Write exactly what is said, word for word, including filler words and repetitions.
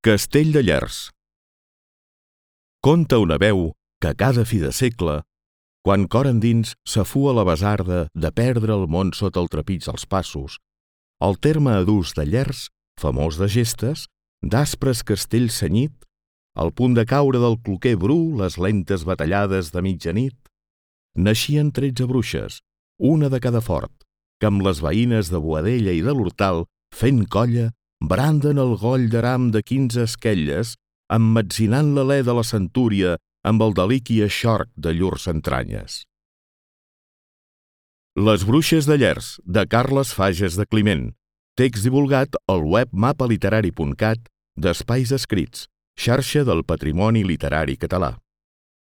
Castell de Llers. Conta una veu que cada fi de segle, quan cor endins s'afua la besarda de perdre el món sota el trepig dels passos, el terme adús de Llers, famós de gestes, d'aspres castells cenyit, al punt de caure del cloquer bru les lentes batallades de mitjanit, naixien tretze bruixes, una de cada fort, que amb les veïnes de Boadella i de l'Hortal, fent colla, branden el goll d'aram de quinze esquelles, emmetzinant l'alè de la centúria amb el deliqui eixorc de llurs entranyes. Les bruixes de Llers, de Carles Fages de Climent. Text divulgat al web mapaliterari punt cat d'Espais Escrits, xarxa del patrimoni literari català.